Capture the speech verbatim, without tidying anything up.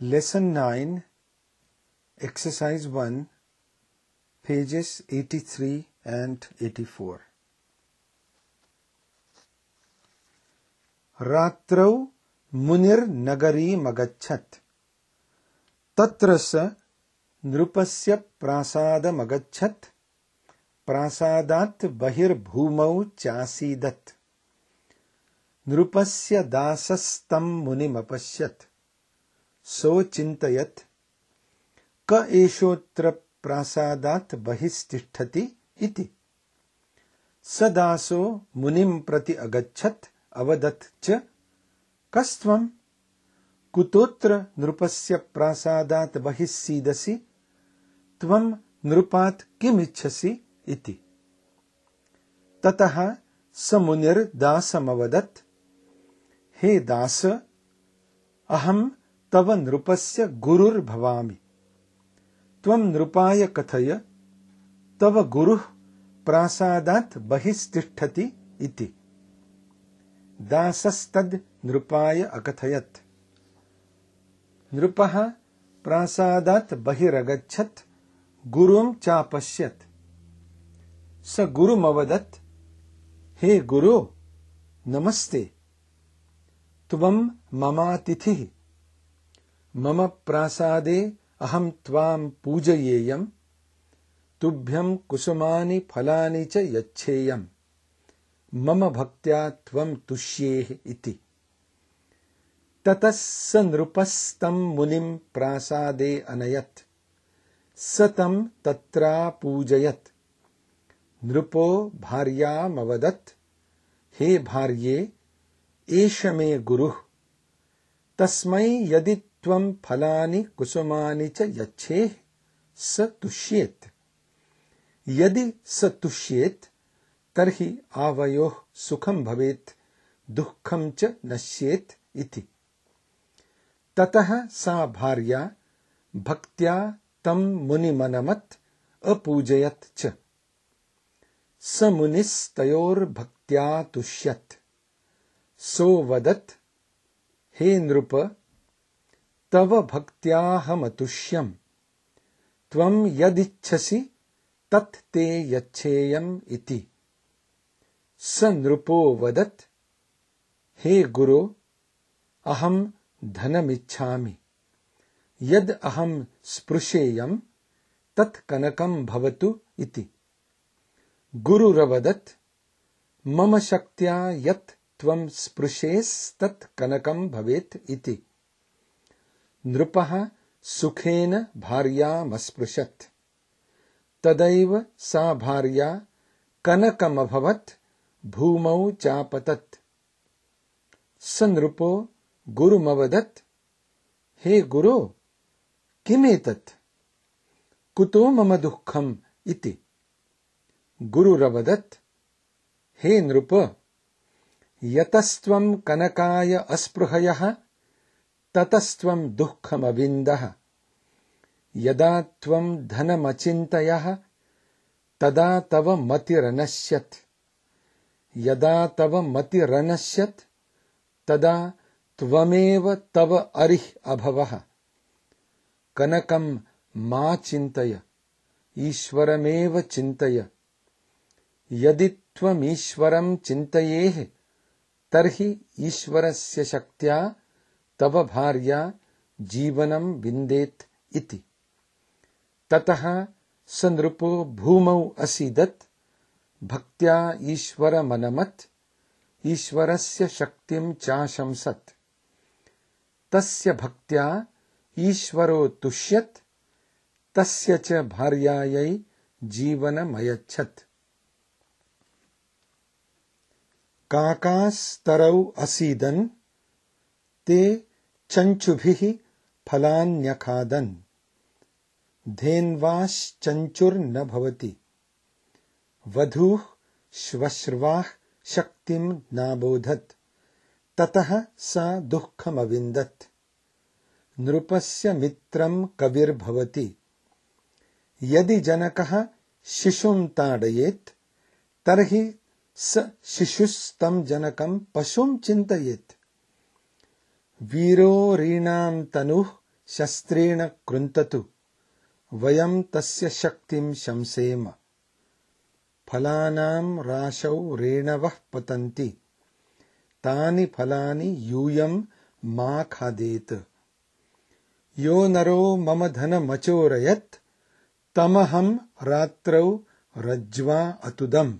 Lesson nine, Exercise one, pages eighty-three and eighty-four. रात्रौ मुनिर्नगरीमगच्छत् तत्र स नृपस्य प्रासादमगच्छत् प्रासादात् बहिर्भूमौ चासीदत् नृपस्य दासस्तं मुनिमपश्यत् सोचिन्तयत् क एषोऽत्र प्रासादात् बहिस्तिष्ठति इति स दासो मुनिं प्रति अगच्छत् अवदत् च कस्त्वं कुतोऽत्र नृपस्य प्रासादात् बहिस्सीदसि त्वं नृपात् किमिच्छसि इति ततः स मुनिर्दासमवदत् हे दास अहं तव नृपस्य गुरुर्भवामि त्वं नृपाय कथय तव गुरुः प्रासादात् बहिस्तिष्ठति इति दासस्तद् नृपाय अकथयत् नृपः प्रासादात् बहिरगच्छत् गुरुं चापश्यत् स गुरुमवदत् हे गुरु नमस्ते त्वं ममातिथिः मम प्रासादे अहं त्वां पूजयेयं तुभ्यं कुसुमानि फलानि च यच्छेयम् मम भक्त्या त्वं तुष्येः इति ततः स नृपस्तं मुनिं प्रासादे अनयत् स तं तत्रापूजयत् नृपो भार्यामवदत् हे भार्ये एष मे गुरुः तस्मै यदि त्वं फलानि कुसुमानि च यच्छेः स तुष्येत् यदि स तुष्येत् तर्हि आवयोः सुखं भवेत् दुःखं च नश्येत् इति ततः सा भार्या भक्त्या तं मुनिमनमत् अपूजयत् च स मुनिस्तयोर्भक्त्या तुष्यत् सोवदत् हे नृप तव भक्त्याहमतुष्यम् त्वं यदिच्छसि तत् ते यच्छेयम् इति स नृपो वदत् हे गुरो अहं धनमिच्छामि यद् अहं स्पृशेयम् तत् कनकं भवतु इति गुरुरवदत् मम शक्त्या यत् त्वं स्पृशेस्तत् कनकं भवेत् इति नृपः सुखेन भार्यामस्पृशत् तदैव सा भार्या कनकमभवत् भूमौ चापतत् स नृपो गुरुमवदत् हे गुरो किमेतत् कुतो मम दुःखम् इति गुरुरवदत् हे नृप यतस्त्वं कनकाय अस्पृहयः ततस्त्वं दुःखमविन्दः यदा त्वं धनमचिन्तयः तदा तव मतिरनश्यत् यदा तव मतिरनश्यत् तदा त्वमेव तव अरिः अभवः कनकं मा चिन्तय ईश्वरमेव चिन्तय यदि त्वमीश्वरं चिन्तयेः तर्हि ईश्वरस्य शक्त्या तव भार्या जीवनं विन्देत् इति ततः स नृपो भूमौ असीदत् भक्त्या ईश्वरमनमत् ईश्वरस्य शक्तिं चाशंसत् तस्य भक्त्या ईश्वरो तुष्यत् तस्य च भार्यायै जीवनमयच्छत् काकास्तरौ असीदन् ते चञ्चुभिः फलान्यखादन् धेन्वाश्चञ्चुर्न भवति वधूः श्वश्र्वाः शक्तिं नाबोधत् ततः सा दुःखमविन्दत् नृपस्य मित्रं कविर्भवति यदि जनकः शिशुं ताडयेत् तर्हि स शिशुस्तं जनकं पशुं चिन्तयेत् वीरो रीणां तनुः शस्त्रेण कृन्ततु वयं तस्य शक्तिं शंसेम। फलानां राशौ रेणवः पतन्ति तानि फलानि यूयं मा खादेत। यो नरो मम धनमचोरयत् तमहं रात्रौ रज्ज्वा अतुदम्।